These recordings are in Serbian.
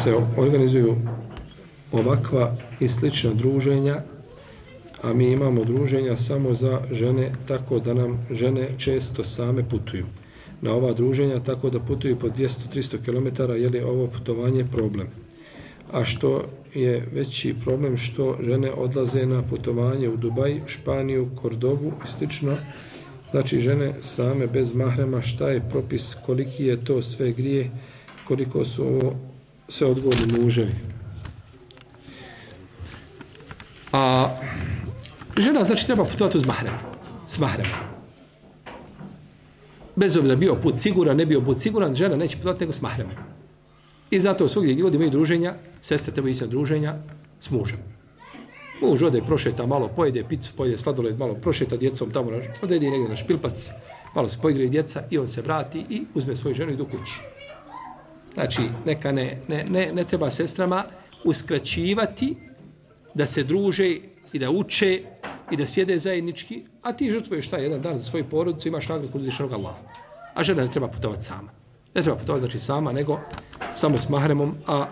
se organizuju ovakva i slična druženja, a mi imamo druženja samo za žene, tako da nam žene često same putuju na ova druženja, tako da putuju po 200-300 km, je li ovo putovanje problem? A što je veći problem, što žene odlaze na putovanje u Dubaj, Španiju, Kordovu i slično, znači žene same bez mahrema, šta je propis, koliki je to sve grije, koliko su ovo sve odgovorni muževi. A žena znači treba putovati uz mahrem, s mahremom. Bez obzira bio put siguran, ne bio put siguran, žena neće putovati nego s mahremom. I zato svugdje gdje imaju druženja, sestre treba ići na druženja s mužem. Muž ode, prošeta malo, pojede picu, pojede sladoled, malo prošeta djecom tamo, ode negdje na špilpac, malo se poigraju djeca i on se vrati i uzme svoju ženu i idu kući. Znači, neka ne treba sestrama uskraćivati da se druže i da uče i da sjede zajednički, a ti žrtvuješ taj jedan dan za svoju porodicu, imaš nagradu kod uzvišenog Allaha. A žena ne treba putovati sama. Ne treba putovati znači sama, nego samo s mahremom, a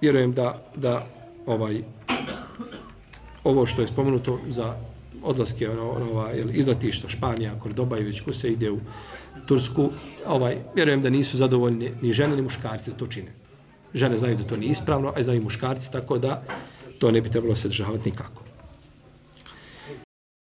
vjerujem da ovo što je spomenuto za odlaske izletišta Španija, Kordoba i već ko se ide u Tursku, vjerujem da nisu zadovoljni ni žene ni muškarci da to čine. Žene znaju da to nije ispravno, a znaju muškarci, tako da to ne bi trebalo se državati nikako.